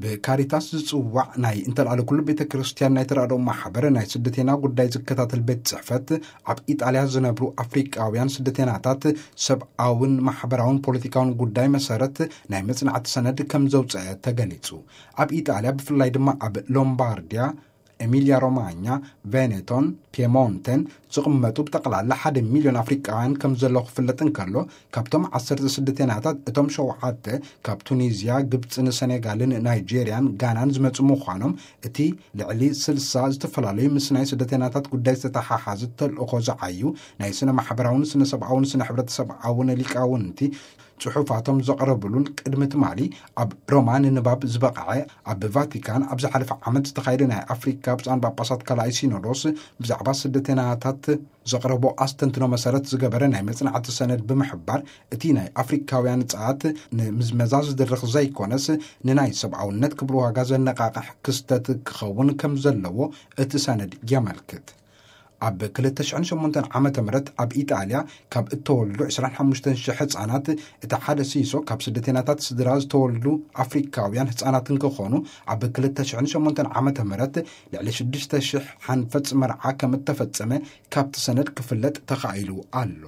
ብካሪታስ ዝጽዋዕ ናይ እንተልኣለ ኩሉ ቤተ ክርስቲያን ናይ ተራድኦ ማሕበር ናይ ስደተና ጉዳይ ዝከታተል ቤት ጽሕፈት፣ ኣብ ኢጣልያ ዝነብሩ ኣፍሪቃውያን ስደተናታት ሰብኣውን ማሕበራውን ፖለቲካውን ጉዳይ መሰረት ናይ መጽናዕቲ ሰነድ ከም ዘውፀአ ተገሊጹ። ኣብ ኢጣልያ፣ ብፍላይ ድማ ኣብ ሎምባርዲያ፣ ኤሚልያ ሮማኛ፣ ቬኔቶን ፒየሞንቴን ዝቕመጡ ብጠቕላላ ሓደ ሚልዮን ኣፍሪቃውያን ከም ዘለዉ ክፍለጥ እንከሎ፣ ካብቶም ዓሰርተ ስደተናታት እቶም ሸውዓተ ካብ ቱኒዝያ፣ ግብፅን ሰኔጋልን ናይጄርያን ጋናን ዝመፁ ምዃኖም፣ እቲ ልዕሊ ስልሳ ዝተፈላለዩ ምስ ናይ ስደተናታት ጉዳይ ዝተተሓሓዘ ተልእኾ ዝዓዩ ናይ ስነ ማሕበራውን ስነ ሰብኣውን ስነ ሕብረተሰብኣውን ሊቃውንቲ ጽሑፋቶም ዘቕረብሉን ቅድሚ ትማሊ ኣብ ሮማ ንንባብ ዝበቕዐ፣ ኣብ ቫቲካን ኣብ ዝሓለፈ ዓመት ዝተኻየደ ናይ ኣፍሪካ ብፁዓን ጳጳሳት ካልኣይ ሲኖዶስ ብዛዕባ ስደተናታት ዘቕረቦ ኣስተንትኖ መሰረት ዝገበረ ናይ መጽናዕቲ ሰነድ ብምሕባር፣ እቲ ናይ ኣፍሪካውያን ጸኣት ንምዝመዛ ዝድርኽ ዘይኮነስ፣ ንናይ ሰብኣውነት ክብሪ ዋጋ ዘነቓቕሕ ክስተት ክኸውን ከም ዘለዎ እቲ ሰነድ የመልክት። ኣብ ክልተ ሽሕን ሸሞንተን ዓመተ ምህረት ኣብ ኢጣልያ ካብ እተወልዱ ዕስራን ሓሙሽተን ሽሕ ህጻናት፣ እቲ ሓደ ሲሶ ካብ ስደተናታት ስድራ ዝተወልዱ ኣፍሪካውያን ህጻናት እንክኾኑ፣ ኣብ ክልተ ሽሕን ሸሞንተን ዓመተ ምህረት ልዕሊ ሽዱሽተ ሽሕ ሓንፈጽ መርዓ ከም እተፈጸመ ካብቲ ሰነድ ክፍለጥ ተኻኢሉ ኣሎ።